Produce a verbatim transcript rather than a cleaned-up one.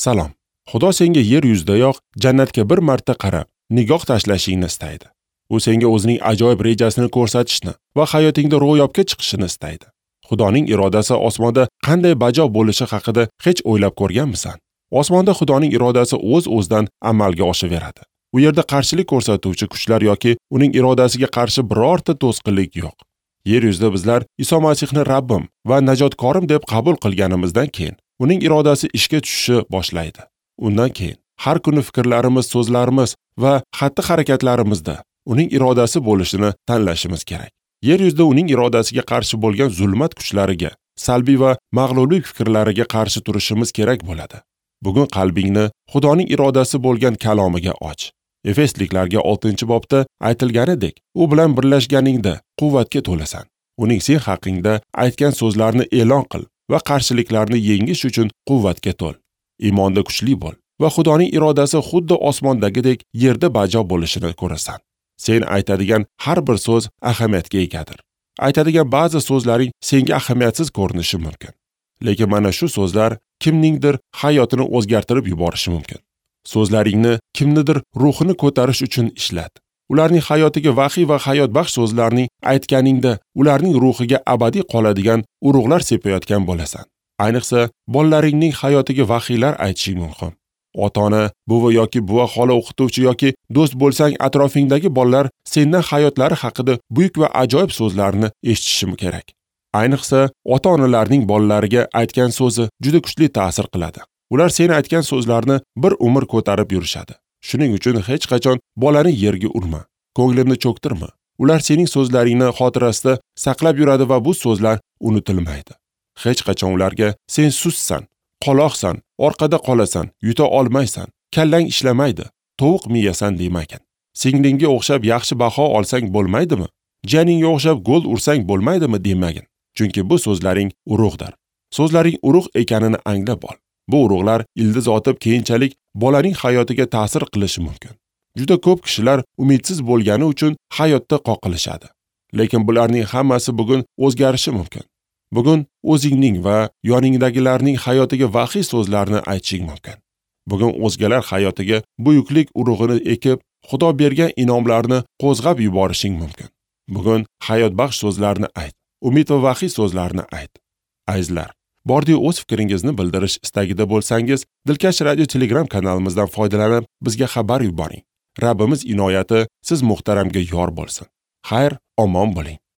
Salom. Xudo senga yer yuzidayoq jannatga bir marta qarab, nigoh tashlashingni istaydi. U senga o'zining ajoyib rejasini ko'rsatishni va hayotingda ro'yobga chiqishini istaydi. Xudoning irodasi osmonda qanday bajo bo'lishi haqida hech o'ylab ko'rganmisan? Osmonda Xudoning irodasi o'z-o'zidan amalga oshaveradi. U yerda qarshilik ko'rsatuvchi kuchlar yoki uning irodasiga qarshi birorta to'sqinlik yo'q. Yer yuzida bizlar Iso Masihni Rabbim va najotkorim deb qabul qilganimizdan keyin uning irodasi ishga tushishi boshlaydi. Undan keyin har kuni fikrlarimiz, so'zlarimiz va xatti-harakatlarimizda uning irodasi bo'lishini tanlashimiz kerak. Yer yuzida uning irodasiga qarshi bo'lgan zulmat kuchlariga, salbiy va mag'lublik fikrlariga qarshi turishimiz kerak bo'ladi. Bugun qalbingni Xudoning irodasi bo'lgan kalomiga och. Efesliklarga oltinchi bobda aytilganidek, u bilan birlashganingda quvvatga to'lasan. Uning sen haqingda aytgan so'zlarini e'lon qil va qarshiliklarni yengish uchun quvvatga to'l. Iymonda kuchli bo'l va Xudoning irodasi xuddi osmondagidek yerda bajo bo'lishini ko'rasan. Sen aytadigan har bir so'z ahamiyatga egadir. Aytadigan ba'zi so'zlaring senga ahamiyatsiz ko'rinishi mumkin. Lekin mana shu so'zlar kimningdir hayotini o'zgartirib yuborishi mumkin. So'zlaringni kimnidir ruhini ko'tarish uchun ishlat. Ularning hayotiga vahiy va hayotbaxsh so'zlarning aytganingda ularning ruhiga abadiy qoladigan urug'lar sepayotgan bo'lasan. Ayniqsa, bolalaringning hayotiga vahiylar aytishing mumkin. Ota-ona, buvi yoki buva xola, o'qituvchi yoki do'st bo'lsang, atrofingdagi bolalar sendan hayotlari haqida buyuk va ajoyib so'zlarni eshitishi kerak. Ayniqsa, ota-onalarning bolalariga aytgan so'zi juda kuchli ta'sir qiladi. Ular sen aytgan so'zlarni bir umr ko'tarib yurishadi. Shuning uchun hech qachon bolani yerga urma, ko'nglini cho'ktirma. Ular sening so'zlaringni xotirasida saqlab yuradi va bu so'zlar unutilmaydi. Hech qachon ularga sen sussan, qoloqsan, orqada qolasan, yuta olmaysan, kallang ishlamaydi, tovuq miyasan demagin. Singlingga o'xshab yaxshi baho olsang bo'lmaydimi? Jiyaningga o'xshab gol ursang bo'lmaydimi demagin. Chunki bu so'zlaring urug'dir. So'zlaring urug' ekanini anglab ol. Bu urug'lar ildiz otib keyinchalik bolaning hayotiga ta'sir qilishi mumkin. Juda ko'p kishilar umidsiz bo'lgani uchun hayotda qoqilishadi. Lekin bularning hammasi bugun o'zgarishi mumkin. Bugun o'zingning va yoningdagilarning hayotiga vahiy so'zlarni aytishing mumkin. Bugun o'zgalar hayotiga buyuklik urug'ini ekib, Xudo bergan inomlarni qo'zg'ab yuborishing mumkin. Bugun hayotbaxsh so'zlarni ayt, umid va vahiy so'zlarni ayt. Azizlar, bordi o'z fikringizni bildirish istagida bo'lsangiz, Dilkash radio Telegram kanalimizdan foydalanib bizga xabar yuboring. Rabbimiz inoyati siz muhtaramga yor bo'lsin. Xayr, omon bo'ling.